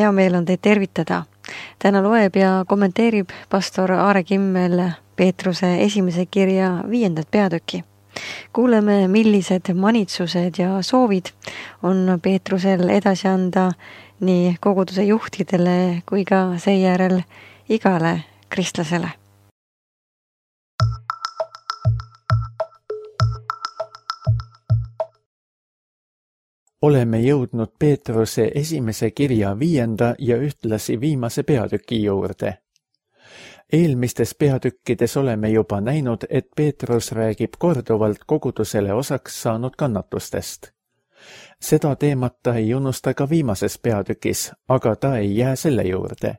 hea meel on teid tervitada. Täna loeb ja kommenteerib pastor Aare Kimmel Peetruse esimese kirja 5. peatüki. Kuuleme, millised manitsused ja soovid on Peetrusel edasi anda nii koguduse juhtidele kui ka seejärel igale kristlasele. Oleme jõudnud Peetruse esimese kirja 5. ja ühtlasi viimase peatüki juurde. Eelmistes peatükkides oleme juba näinud, et Peetrus räägib korduvalt kogudusele osaks saanud kannatustest. Seda teemat ta ei unusta ka viimases peatükis, aga ta ei jää selle juurde.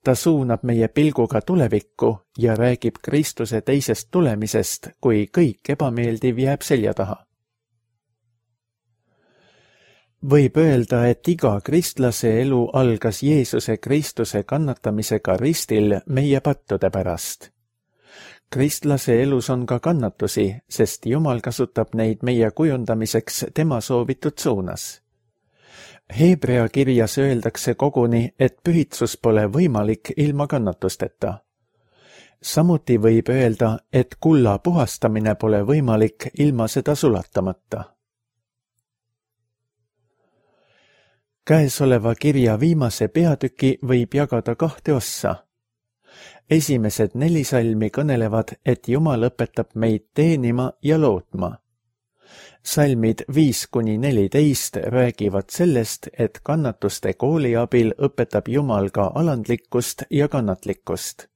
Ta suunab meie pilguga tulevikku ja räägib Kristuse teisest tulemisest, kui kõik ebameeldiv jääb selja taha. Võib öelda, et iga kristlase elu algas Jeesuse Kristuse kannatamisega ristil meie pattude pärast. Kristlase elus on ka kannatusi, sest Jumal kasutab neid meie kujundamiseks tema soovitud suunas. Hebrea kirjas öeldakse koguni, et pühitsus pole võimalik ilma kannatusteta. Samuti võib öelda, et kulla puhastamine pole võimalik ilma seda sulatamata. Käesoleva kirja viimase peatüki võib jagada 2 ossa. Esimesed 4 salmi kõnelevad, et Jumal õpetab meid teenima ja lootma. Salmid 5-14 räägivad sellest, et kannatuste kooli abil õpetab Jumal ka alandlikkust ja kannatlikkust.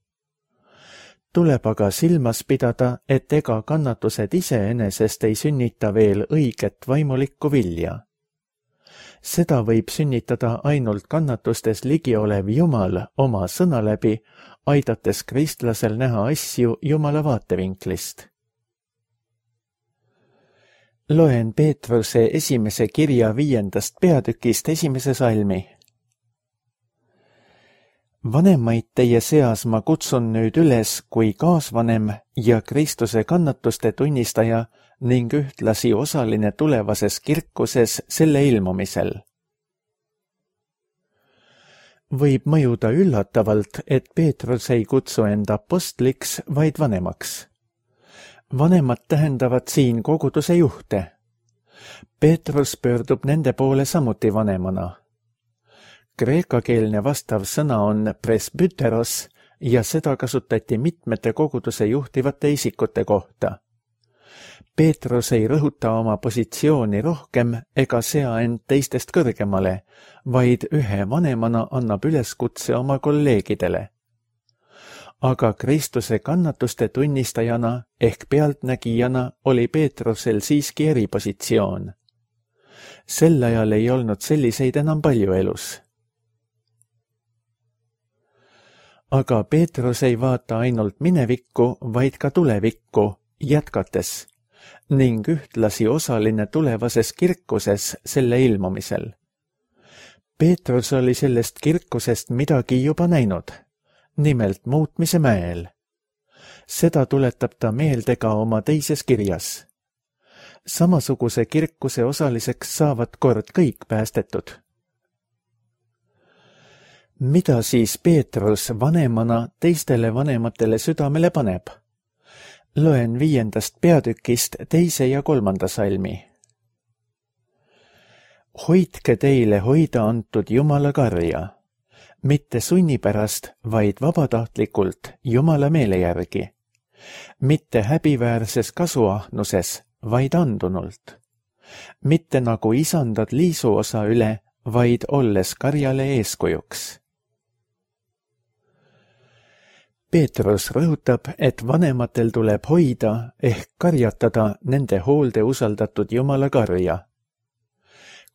Tuleb aga silmas pidada, et ega kannatused iseenesest ei sünnita veel õiget vaimulikku vilja. Seda võib sünnitada ainult kannatustes ligiolev Jumal oma sõna läbi, aidates kristlasel näha asju Jumala vaatevinklist. Loen Peetruse esimese kirja 5. peatükist 1. salmi. Vanemaid teie seas ma kutsun nüüd üles kui kaasvanem ja Kristuse kannatuste tunnistaja ning ühtlasi osaline tulevases kirkuses selle ilmumisel. Võib mõjuda üllatavalt, et Peetrus ei kutsu end apostliks, vaid vanemaks. Vanemad tähendavad siin koguduse juhte. Peetrus pöördub nende poole samuti vanemana. Kreekakeelne vastav sõna on presbyteros ja seda kasutati mitmete koguduse juhtivate isikute kohta. Peetrus ei rõhuta oma positsiooni rohkem ega sea end teistest kõrgemale, vaid ühe vanemana annab üleskutse oma kolleegidele. Aga Kristuse kannatuste tunnistajana ehk pealtnägijana oli Peetrusel siiski eripositsioon. Sel ajal ei olnud selliseid enam palju elus. Aga Peetrus ei vaata ainult minevikku, vaid ka tulevikku, jätkates ning ühtlasi osaline tulevases kirkuses selle ilmumisel. Peetrus oli sellest kirkusest midagi juba näinud, nimelt muutmise mäel. Seda tuletab ta meelde ka oma teises kirjas. Samasuguse kirkuse osaliseks saavad kord kõik päästetud. Mida siis Peetrus vanemana teistele vanematele südamele paneb? Loen 5. peatükist 2. ja 3. salmi. Hoidke teile hoida antud Jumala karja, mitte sunni pärast, vaid vabatahtlikult Jumala meele järgi, mitte häbiväärses kasuahnuses, vaid andunult, mitte nagu isandad liisuosa üle, vaid olles karjale eeskujuks. Peetrus rõhutab, et vanematel tuleb hoida ehk karjatada nende hoolde usaldatud Jumala karja.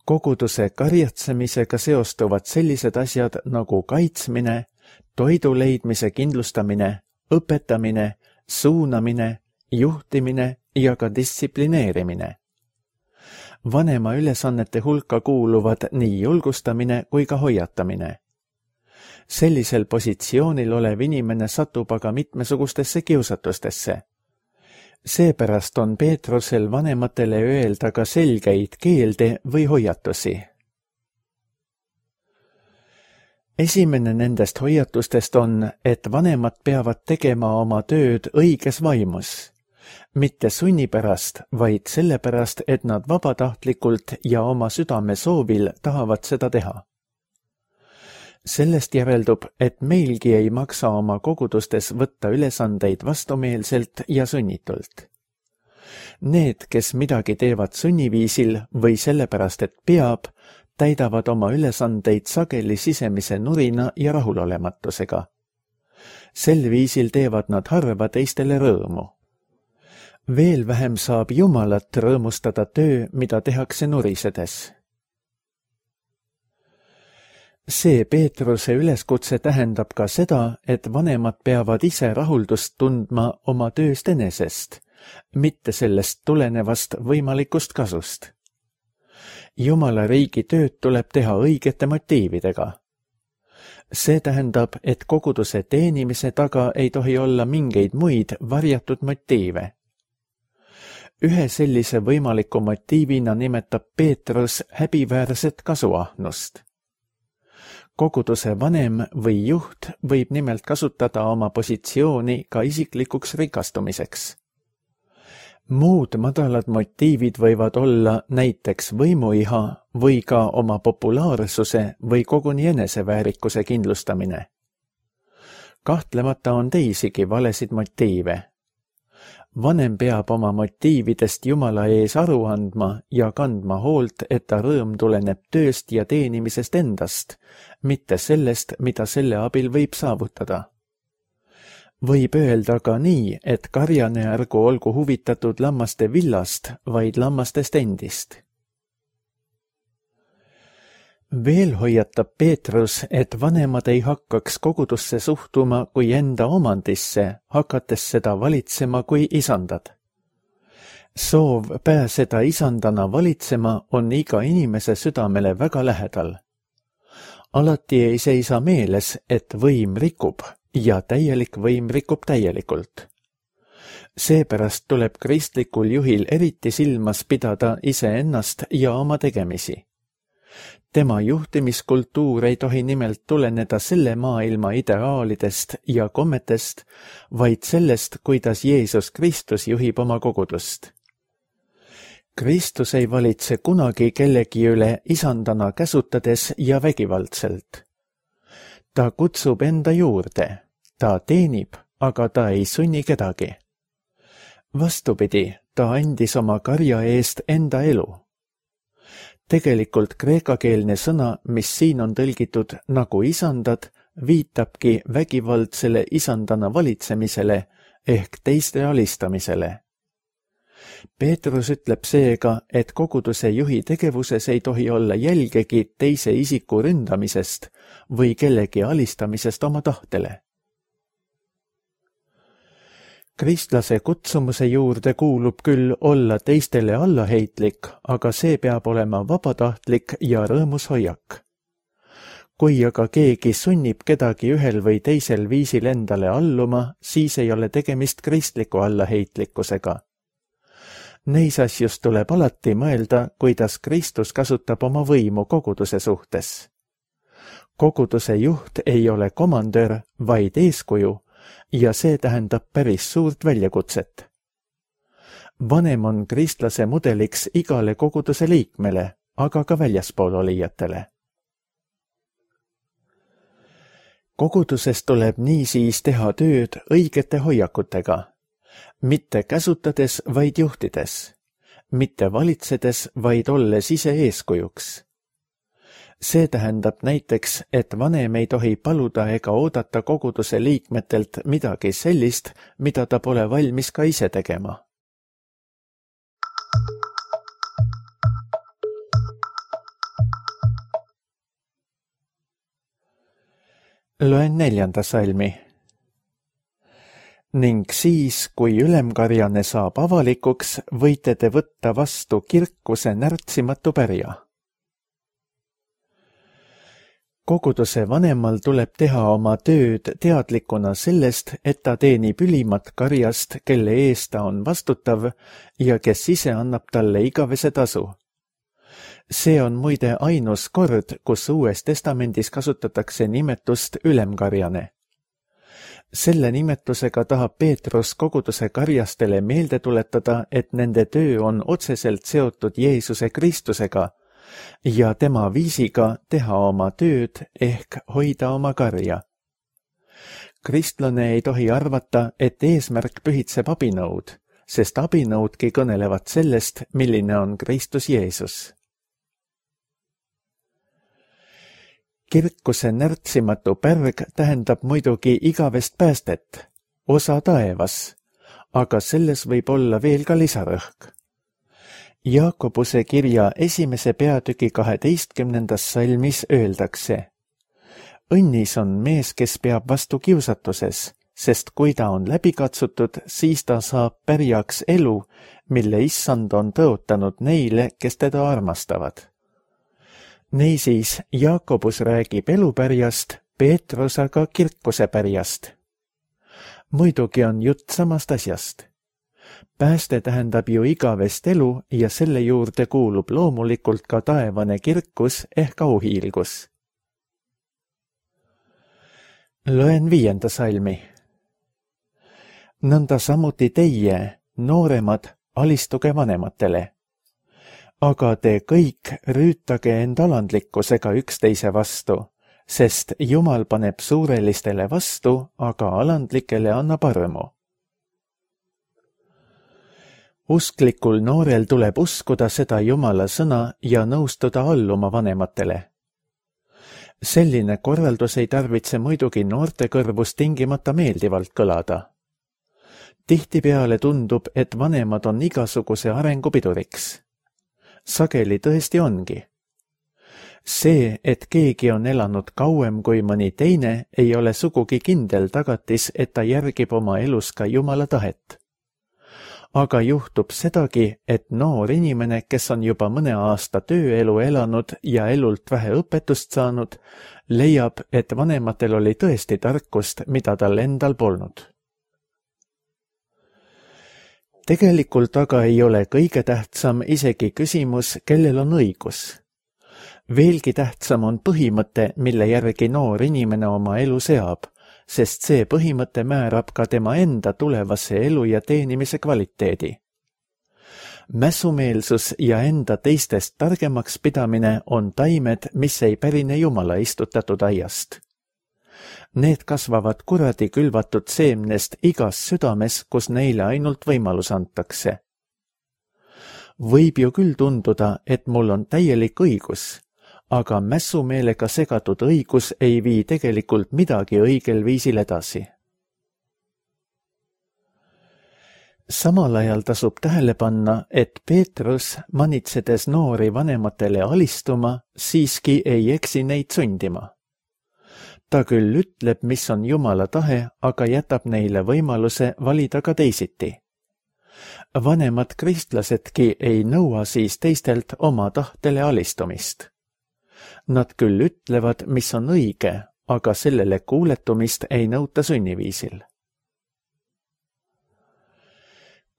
Koguduse karjatsemisega seostuvad sellised asjad nagu kaitsmine, toidu leidmise kindlustamine, õpetamine, suunamine, juhtimine ja ka distsiplineerimine. Vanema ülesannete hulka kuuluvad nii julgustamine kui ka hoiatamine. Sellisel positsioonil olev inimene satub aga mitmesugustesse kiusatustesse. Seepärast on Peetrusel vanematele öelda ka selgeid keelde või hoiatusi. Esimene nendest hoiatustest on, et vanemad peavad tegema oma tööd õiges vaimus, mitte sunni pärast, vaid sellepärast, et nad vabatahtlikult ja oma südame soovil tahavad seda teha. Sellest järeldub, et meilgi ei maksa oma kogudustes võtta ülesandeid vastumeelselt ja sunnitult. Need, kes midagi teevad sunniviisil või sellepärast, et peab, täidavad oma ülesandeid sageli sisemise nurina ja rahulolematusega. Sel viisil teevad nad harva teistele rõõmu. Veel vähem saab Jumalat rõõmustada töö, mida tehakse nurisedes. See Peetruse üleskutse tähendab ka seda, et vanemad peavad ise rahuldust tundma oma tööst enesest, mitte sellest tulenevast võimalikust kasust. Jumala riigi tööd tuleb teha õigete motiividega. See tähendab, et koguduse teenimise taga ei tohi olla mingeid muid varjatud motiive. Ühe sellise võimaliku motiivina nimetab Peetrus häbiväärset kasuahnust. Koguduse vanem või juht võib nimelt kasutada oma positsiooni ka isiklikuks rikastumiseks. Muud madalad motiivid võivad olla näiteks võimuiha või ka oma populaarsuse või koguni eneseväärikuse kindlustamine. Kahtlemata on teisigi valesid motiive. Vanem peab oma motiividest Jumala ees aru andma ja kandma hoolt, et ta rõõm tuleneb tööst ja teenimisest endast, mitte sellest, mida selle abil võib saavutada. Võib öelda ka nii, et karjane ärgu olgu huvitatud lammaste villast, vaid lammastest endist. Veel hoiatab Peetrus, et vanemad ei hakkaks kogudusse suhtuma kui enda omandisse, hakates seda valitsema kui isandad. Soov pääseda isandana valitsema on iga inimese südamele väga lähedal. Alati ei seisa meeles, et võim rikub ja täielik võim rikub täielikult. Seepärast tuleb kristlikul juhil eriti silmas pidada iseennast ja oma tegemisi. Tema juhtimiskultuur ei tohi nimelt tuleneda selle maailma ideaalidest ja kommetest, vaid sellest, kuidas Jeesus Kristus juhib oma kogudust. Kristus ei valitse kunagi kellegi üle isandana käsutades ja vägivaldselt. Ta kutsub enda juurde, ta teenib, aga ta ei sunni kedagi. Vastupidi, ta andis oma karja eest enda elu. Tegelikult kreekakeelne sõna, mis siin on tõlgitud nagu isandad, viitabki vägivaldsele isandana valitsemisele ehk teiste alistamisele. Peetrus ütleb seega, et koguduse juhi tegevuses ei tohi olla jälgegi teise isiku ründamisest või kellegi alistamisest oma tahtele. Kristlase kutsumuse juurde kuulub küll olla teistele allaheitlik, aga see peab olema vabatahtlik ja rõõmus hoiak. Kui aga keegi sunnib kedagi ühel või teisel viisil endale alluma, siis ei ole tegemist kristliku allaheitlikkusega. Neis asjus tuleb alati mõelda, kuidas Kristus kasutab oma võimu koguduse suhtes. Koguduse juht ei ole komandör, vaid eeskuju, ja see tähendab päris suurt väljakutset. Vanem on kristlase mudeliks igale koguduse liikmele, aga ka väljaspool olijatele. Koguduses tuleb niisiis teha tööd õigete hoiakutega, mitte käsutades, vaid juhtides, mitte valitsedes, vaid olles ise eeskujuks. See tähendab näiteks, et vanem ei tohi paluda ega oodata koguduse liikmetelt midagi sellist, mida ta pole valmis ka ise tegema. Loen 4. salmi. Ning siis, kui ülemkarjane saab avalikuks, võite te võtta vastu kirkuse närtsimatu pärja. Koguduse vanemal tuleb teha oma tööd teadlikuna sellest, et ta teenib ülimat karjast, kelle eest ta on vastutav ja kes ise annab talle igavese tasu. See on muide ainus kord, kus Uues Testamendis kasutatakse nimetust ülemkarjane. Selle nimetusega tahab Peetrus koguduse karjastele meelde tuletada, et nende töö on otseselt seotud Jeesuse Kristusega ja tema viisiga teha oma tööd ehk hoida oma karja. Kristlane ei tohi arvata, et eesmärk pühitseb abinõud, sest abinõudki kõnelevad sellest, milline on Kristus Jeesus. Kirkuse närtsimatu pärg tähendab muidugi igavest päästet, osa taevas, aga selles võib olla veel ka lisarõhk. Jaakobuse kirja 1. peatüki 12. salmis öeldakse: õnnis on mees, kes peab vastu kiusatuses, sest kui ta on läbi katsutud, siis ta saab pärjaks elu, mille issand on tõotanud neile, kes teda armastavad. Niisiis, Jaakobus räägib elupärjast, Peetrus aga kirkuse pärjast. Muidugi on jutt samast asjast. Pääste tähendab ju igavest elu ja selle juurde kuulub loomulikult ka taevane kirkus ehk auhiilgus. Loen 5. salmi. Nõnda samuti teie, nooremad, alistuge vanematele. Aga te kõik rüütage end alandlikkusega üksteise vastu, sest Jumal paneb suurelistele vastu, aga alandlikele annab armu. Usklikul noorel tuleb uskuda seda Jumala sõna ja nõustuda alluma vanematele. Selline korraldus ei tarvitse muidugi noorte kõrvus tingimata meeldivalt kõlada. Tihtipeale tundub, et vanemad on igasuguse arengu piduriks. Sageli tõesti ongi. See, et keegi on elanud kauem kui mõni teine, ei ole sugugi kindel tagatis, et ta järgib oma elus ka Jumala tahet. Aga juhtub sedagi, et noor inimene, kes on juba mõne aasta tööelu elanud ja elult vähe õpetust saanud, leiab, et vanematel oli tõesti tarkust, mida tal endal polnud. Tegelikult aga ei ole kõige tähtsam isegi küsimus, kellel on õigus. Veelgi tähtsam on põhimõte, mille järgi noor inimene oma elu seab, sest see põhimõte määrab ka tema enda tulevase elu ja teenimise kvaliteedi. Mässumeelsus ja enda teistest targemaks pidamine on taimed, mis ei pärine Jumala istutatud aiast. Need kasvavad kuradi külvatud seemnest igas südames, kus neile ainult võimalus antakse. Võib ju küll tunduda, et mul on täielik õigus, aga mässumeelega segatud õigus ei vii tegelikult midagi õigel viisil edasi. Samal ajal tasub tähele panna, et Peetrus, manitsedes noori vanematele alistuma, siiski ei eksi neid sundima. Ta küll ütleb, mis on Jumala tahe, aga jätab neile võimaluse valida ka teisiti. Vanemad kristlasedki ei nõua siis teistelt oma tahtele alistumist. Nad küll ütlevad, mis on õige, aga sellele kuuletumist ei nõuta sunniviisil.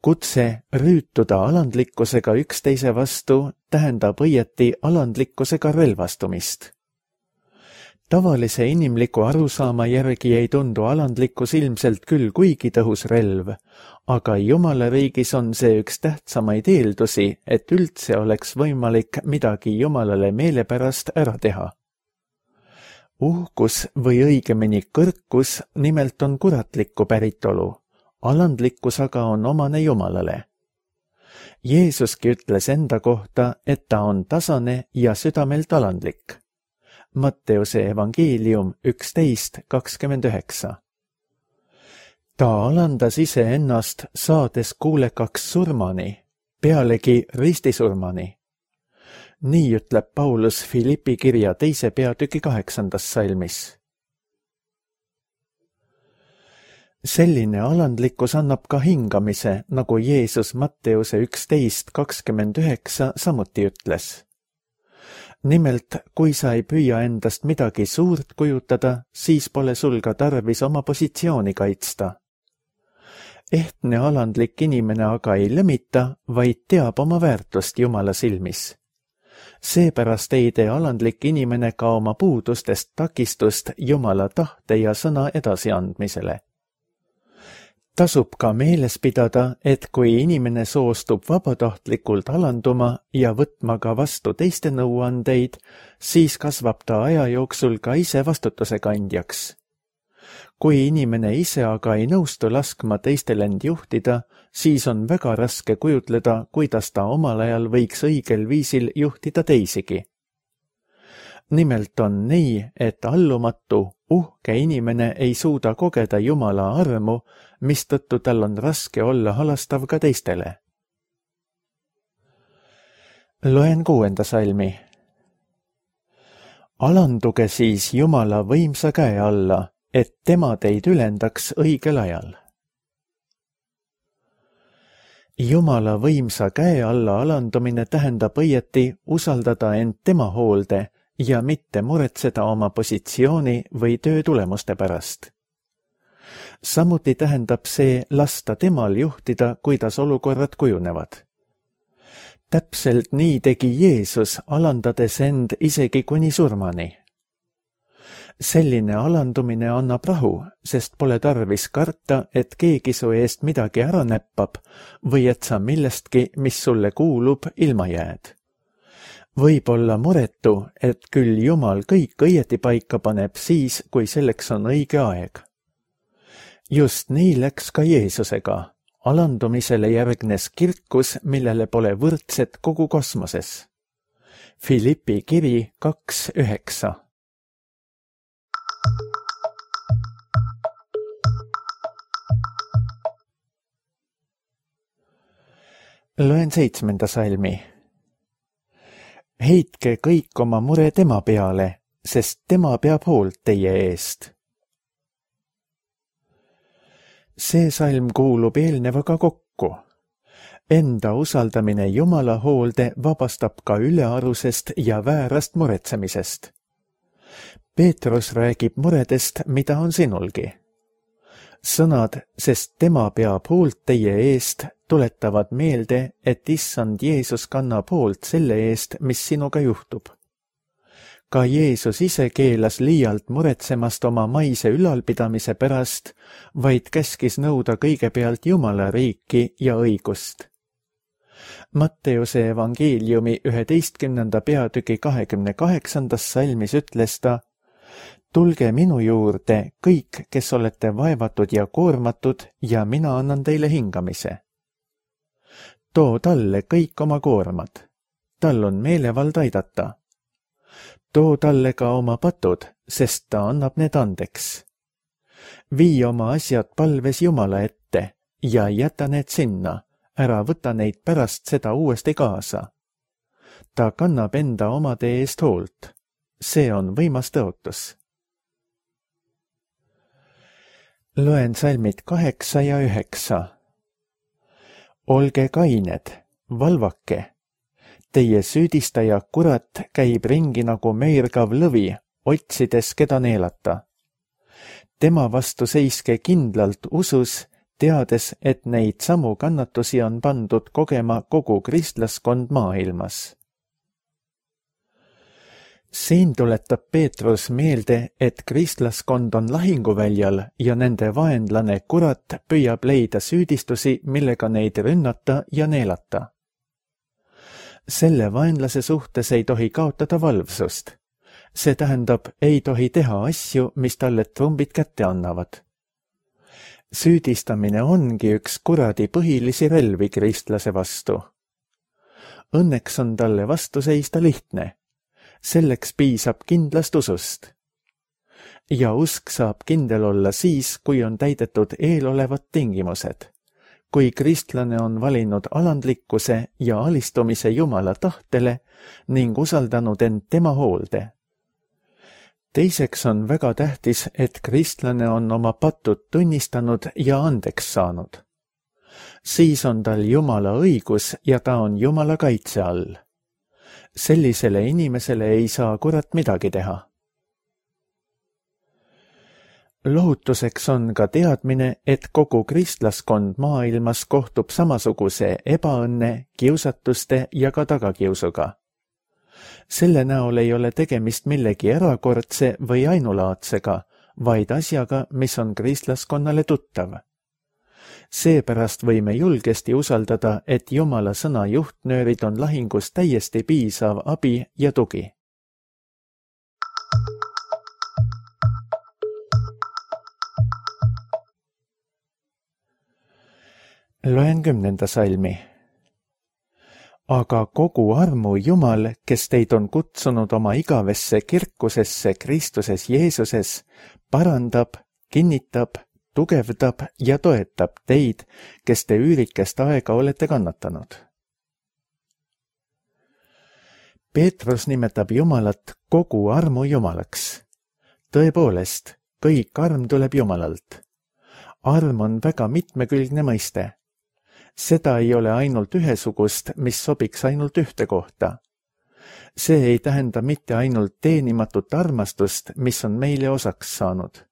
Kutse rüütuda alandlikkusega üksteise vastu tähendab õieti alandlikkusega relvastumist. Tavalise inimliku arusaama järgi ei tundu alandlikkus ilmselt küll kuigi tõhus relv, aga Jumala riigis on see üks tähtsamaid eeldusi, et üldse oleks võimalik midagi Jumalale meelepärast ära teha. Uhkus või õigemini kõrkus nimelt on kuratlikku päritolu, alandlikkus aga on omane Jumalale. Jeesuski ütles enda kohta, et ta on tasane ja südamelt alandlik. Matteuse evangeelium 11:29. Ta alandas iseennast, saades kuulekaks surmani, pealegi ristisurmani. Nii ütleb Paulus Filippi kirja 2. peatüki 8. salmis. Selline alandlikkus annab ka hingamise, nagu Jeesus Matteuse 11:29 samuti ütles. Nimelt, kui sa ei püüa endast midagi suurt kujutada, siis pole sul ka tarvis oma positsiooni kaitsta. Ehtne alandlik inimene aga ei lõmita, vaid teab oma väärtust Jumala silmis. Seepärast ei tee alandlik inimene ka oma puudustest takistust Jumala tahte ja sõna edasiandmisele. Tasub ka meeles pidada, et kui inimene soostub vabatahtlikult alanduma ja võtma ka vastu teiste nõuandeid, siis kasvab ta aja jooksul ka ise vastutuse kandjaks. Kui inimene ise aga ei nõustu laskma teistel end juhtida, siis on väga raske kujutleda, kuidas ta omal ajal võiks õigel viisil juhtida teisigi. Nimelt on nii, et allumatu, uhke inimene ei suuda kogeda Jumala armu, mistõttu tal on raske olla halastav ka teistele. Loen 6. salmi. Alanduge siis Jumala võimsa käe alla, et tema teid ülendaks õigel ajal. Jumala võimsa käe alla alandumine tähendab õieti usaldada end tema hoolde ja mitte muretseda oma positsiooni või töö tulemuste pärast. Samuti tähendab see lasta temal juhtida, kuidas olukorrad kujunevad. Täpselt nii tegi Jeesus, alandades end isegi kuni surmani. Selline alandumine annab rahu, sest pole tarvis karta, et keegi su eest midagi ära näppab või et sa millestki, mis sulle kuulub, ilma jääd. Võib olla muretu, et küll Jumal kõik õieti paika paneb siis, kui selleks on õige aeg. Just nii läks ka Jeesusega. Alandumisele järgnes kirkus, millele pole võrdset kogu kosmoses. Filippi kiri 2:9. Loen 7. salmi. Heitke kõik oma mure tema peale, sest tema peab hoolt teie eest. See salm kuulub eelnevaga kokku. Enda usaldamine Jumala hoolde vabastab ka ülearusest ja väärast muretsemisest. Peetrus räägib muredest, mida on sinulgi. Sõnad, sest tema peab hoolt teie eest, tuletavad meelde, et issand Jeesus kannab hoolt selle eest, mis sinuga juhtub. Ka Jeesus ise keelas liialt muretsemast oma maise ülalpidamise pärast, vaid käskis nõuda kõigepealt Jumala riiki ja õigust. Matteuse evangeeliumi 11. peatüki 28. salmis ütles ta: tulge minu juurde kõik, kes olete vaevatud ja koormatud, ja mina annan teile hingamise. Too talle kõik oma koormad. Tal on meelevald aidata. Too talle ka oma patud, sest ta annab need andeks. Vii oma asjad palves Jumala ette ja jäta need sinna, ära võta neid pärast seda uuesti kaasa. Ta kannab enda omade eest hoolt. See on võimas tõotus. Loen salmid 8 ja 9. Olge kained, valvake. Teie süüdistaja kurat käib ringi nagu meirgav lõvi, otsides keda neelata. Tema vastu seiske kindlalt usus, teades, et neid samu kannatusi on pandud kogema kogu kristlaskond maailmas. Siin tuletab Peetrus meelde, et kristlaskond on lahinguväljal ja nende vaenlane kurat püüab leida süüdistusi, millega neid rünnata ja neelata. Selle vaenlase suhtes ei tohi kaotada valvsust. See tähendab, ei tohi teha asju, mis talle trumbid kätte annavad. Süüdistamine ongi üks kuradi põhilisi relvi kristlase vastu. Õnneks on talle vastu seista lihtne. Selleks piisab kindlast usust. Ja usk saab kindel olla siis, kui on täidetud eelolevad tingimused. Kui kristlane on valinud alandlikkuse ja alistumise Jumala tahtele ning usaldanud end tema hoolde. Teiseks on väga tähtis, et kristlane on oma patud tunnistanud ja andeks saanud. Siis on tal Jumala õigus ja ta on Jumala kaitse all. Sellisele inimesele ei saa kurat midagi teha. Lohutuseks on ka teadmine, et kogu kristlaskond maailmas kohtub samasuguse ebaõnne, kiusatuste ja ka tagakiusuga. Selle näol ei ole tegemist millegi erakordse või ainulaadsega, vaid asjaga, mis on kristlaskonnale tuttav. Seepärast võime julgesti usaldada, et Jumala sõna juhtnöörid on lahingus täiesti piisav abi ja tugi. Loen 10. salmi. Aga kogu armu Jumal, kes teid on kutsunud oma igavesse kirkusesse Kristuses Jeesuses, parandab, kinnitab, tugevdab ja toetab teid, kes te üürikest aega olete kannatanud. Peetrus nimetab Jumalat kogu armu Jumalaks. Tõepoolest, kõik arm tuleb Jumalalt. Arm on väga mitmekülgne mõiste. Seda ei ole ainult ühesugust, mis sobiks ainult ühte kohta. See ei tähenda mitte ainult teenimatut armastust, mis on meile osaks saanud.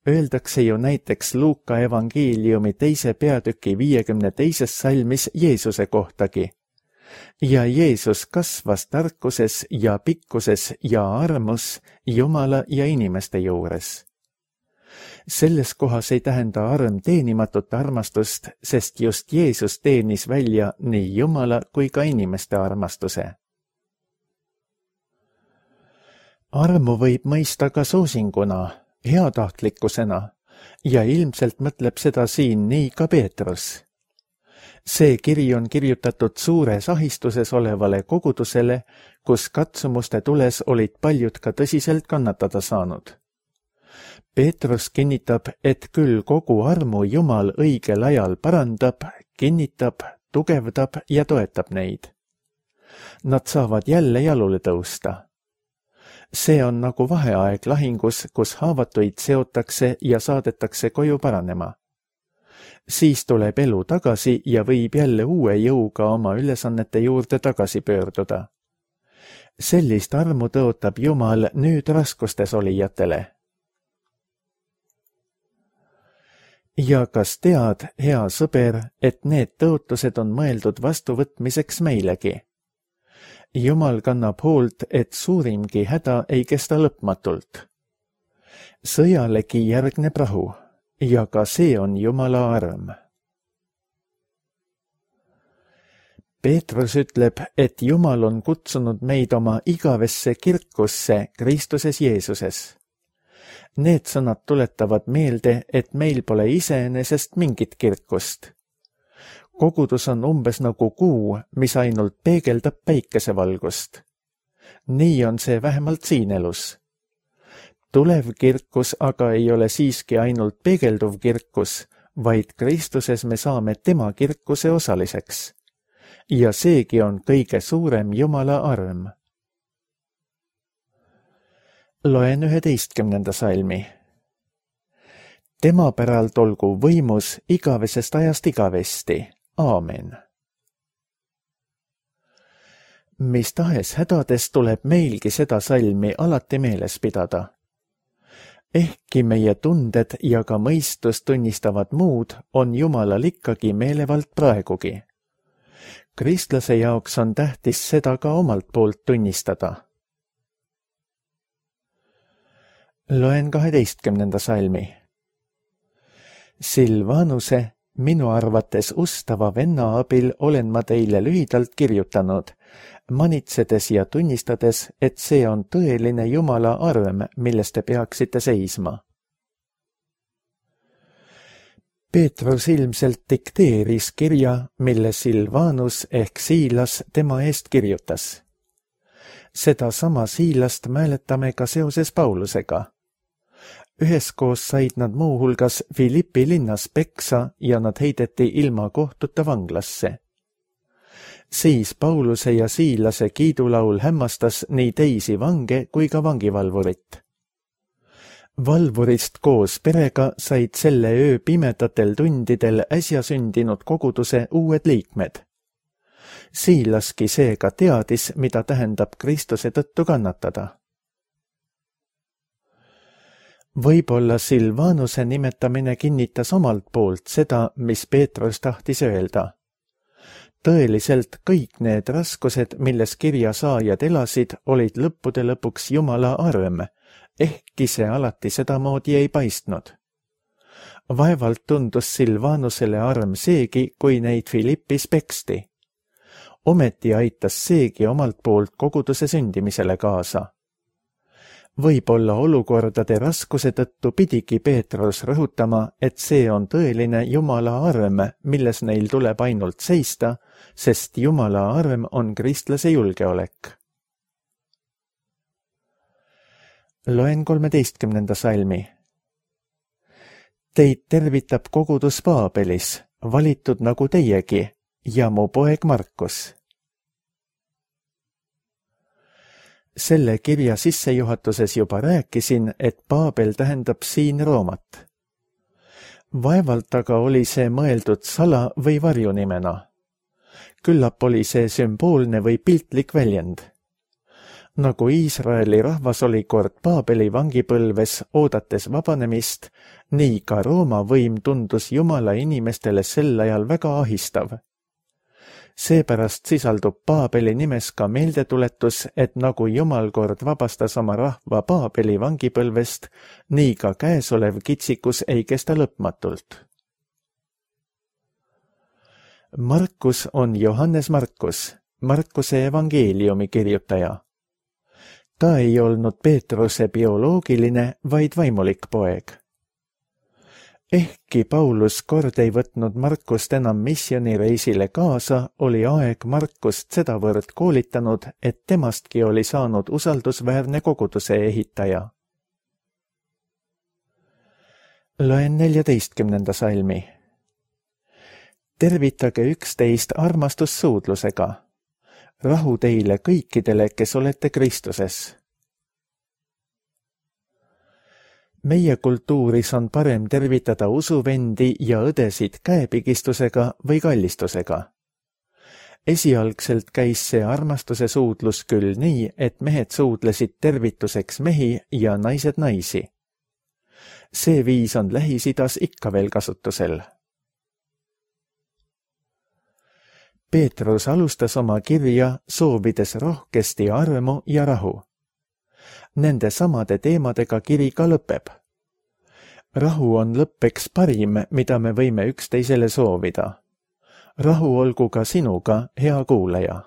Öeldakse ju näiteks Luuka evangeeliumi 2. peatüki 52. salmis Jeesuse kohtagi. Ja Jeesus kasvas tarkuses ja pikkuses ja armus Jumala ja inimeste juures. Selles kohas ei tähenda arm teenimatut armastust, sest just Jeesus teenis välja nii Jumala kui ka inimeste armastuse. Armu võib mõista ka soosinguna, heatahtlikkusena ja ilmselt mõtleb seda siin nii ka Peetrus. See kiri on kirjutatud suures ahistuses olevale kogudusele, kus katsumuste tules olid paljud ka tõsiselt kannatada saanud. Peetrus kinnitab, et küll kogu armu Jumal õigel ajal parandab, kinnitab, tugevdab ja toetab neid. Nad saavad jälle jalule tõusta. See on nagu vaheaeg lahingus, kus haavatuid seotakse ja saadetakse koju paranema. Siis tuleb elu tagasi ja võib jälle uue jõuga oma ülesannete juurde tagasi pöörduda. Sellist armu tõotab Jumal nüüd raskustes olijatele. Ja kas tead, hea sõber, et need tõotused on mõeldud vastuvõtmiseks meilegi? Jumal kannab hoolt, et suurimgi häda ei kesta lõpmatult. Sõjalegi järgneb rahu, ja ka see on Jumala arm. Peetrus ütleb, et Jumal on kutsunud meid oma igavesse kirkusse Kristuses Jeesuses. Need sõnad tuletavad meelde, et meil pole iseenesest mingit kirkust. Kogudus on umbes nagu kuu, mis ainult peegeldab päikesevalgust. Nii on see vähemalt siin elus. Tulev kirkus aga ei ole siiski ainult peegelduv kirkus, vaid Kristuses me saame tema kirkuse osaliseks. Ja seegi on kõige suurem Jumala arm. Loen 11. salmi. Tema päralt olgu võimus igavesest ajast igavesti. Aamen. Mis tahes hädades tuleb meilgi seda salmi alati meeles pidada. Ehkki meie tunded ja ka mõistus tunnistavad muud, on Jumalal ikkagi meelevald praegugi. Kristlase jaoks on tähtis seda ka omalt poolt tunnistada. Loen 12. salmi. Silvanuse, minu arvates ustava venna abil olen ma teile lühidalt kirjutanud, manitsedes ja tunnistades, et see on tõeline Jumala arm, milles te peaksite seisma. Peetrus ilmselt dikteeris kirja, mille Silvanus ehk Siilas tema eest kirjutas. Seda sama Siilast mäletame ka seoses Paulusega. Üheskoos said nad muuhulgas Filippi linnas peksa ja nad heideti ilma kohtuta vanglasse. Siis Pauluse ja Siilase kiidulaul hämmastas nii teisi vange kui ka vangivalvurit. Valvurist koos perega said selle öö pimedatel tundidel äsja sündinud koguduse uued liikmed. Siilaski seega teadis, mida tähendab Kristuse tõttu kannatada. Võib-olla Silvanuse nimetamine kinnitas omalt poolt seda, mis Peetrus tahtis öelda. Tõeliselt kõik need raskused, milles kirja saajad elasid, olid lõppude lõpuks Jumala arm, ehkki see alati sedamoodi ei paistnud. Vaevalt tundus Silvanusele arm seegi, kui neid Filippis peksti. Ometi aitas seegi omalt poolt koguduse sündimisele kaasa. Võib-olla olukordade raskuse tõttu pidigi Peetrus rõhutama, et see on tõeline Jumala arm, milles neil tuleb ainult seista, sest Jumala arm on kristlase julgeolek. Loen 13. salmi. Teid tervitab kogudus Paabelis, valitud nagu teiegi, ja mu poeg Markus. Selle kirja sissejuhatuses juba rääkisin, et Paabel tähendab siin Roomat. Vaevalt aga oli see mõeldud sala- või varjunimena. Küllap oli see sümboolne või piltlik väljend. Nagu Iisraeli rahvas oli kord Paabeli vangipõlves oodates vabanemist, nii ka Rooma võim tundus Jumala inimestele sel ajal väga ahistav. Seepärast sisaldub Paabeli nimes ka meeldetuletus, et nagu Jumal kord vabastas oma rahva Paabeli vangipõlvest, nii ka käesolev kitsikus ei kesta lõpmatult. Markus on Johannes Markus, Markuse evangeeliumi kirjutaja. Ta ei olnud Peetruse bioloogiline, vaid vaimulik poeg. Ehkki Paulus kord ei võtnud Markust enam missioonireisile kaasa, oli aeg Markust sedavõrd koolitanud, et temastki oli saanud usaldusväärne koguduse ehitaja. Loen 14. salmi. Tervitage üksteist armastussuudlusega. Rahu teile kõikidele, kes olete Kristuses. Meie kultuuris on parem tervitada usuvendi ja õdesid käepigistusega või kallistusega. Esialgselt käis see armastuse suudlus küll nii, et mehed suudlesid tervituseks mehi ja naised naisi. See viis on Lähis-Idas ikka veel kasutusel. Peetrus alustas oma kirja soovides rohkesti armu ja rahu. Nende samade teemadega kiri ka lõpeb. Rahu on lõppeks parim, mida me võime üksteisele soovida. Rahu olgu ka sinuga, hea kuulaja.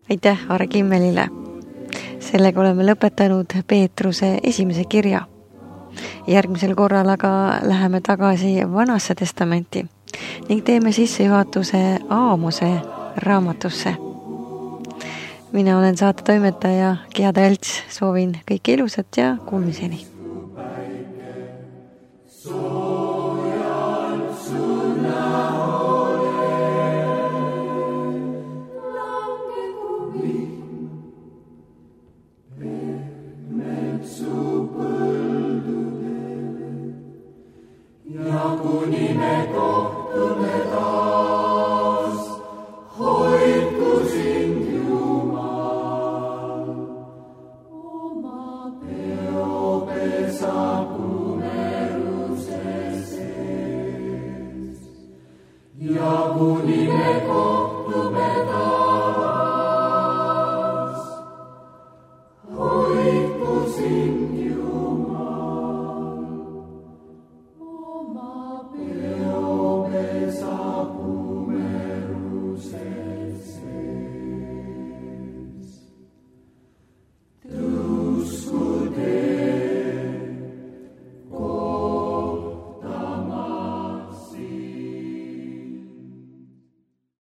Aitäh Aare Kimmelile. Sellega oleme lõpetanud Peetruse esimese kirja. Järgmisel korral aga läheme tagasi Vanasse testamenti ning teeme sissejuhatuse Aamose raamatusse. Mina olen saatetoimetaja Giada Elts, soovin kõike ilusat ja kuulmiseni. Ja kuni me kohtume taas, hoidku sind Jumal. Oma peopesa kumeruse sees. Ja kuni me kohtume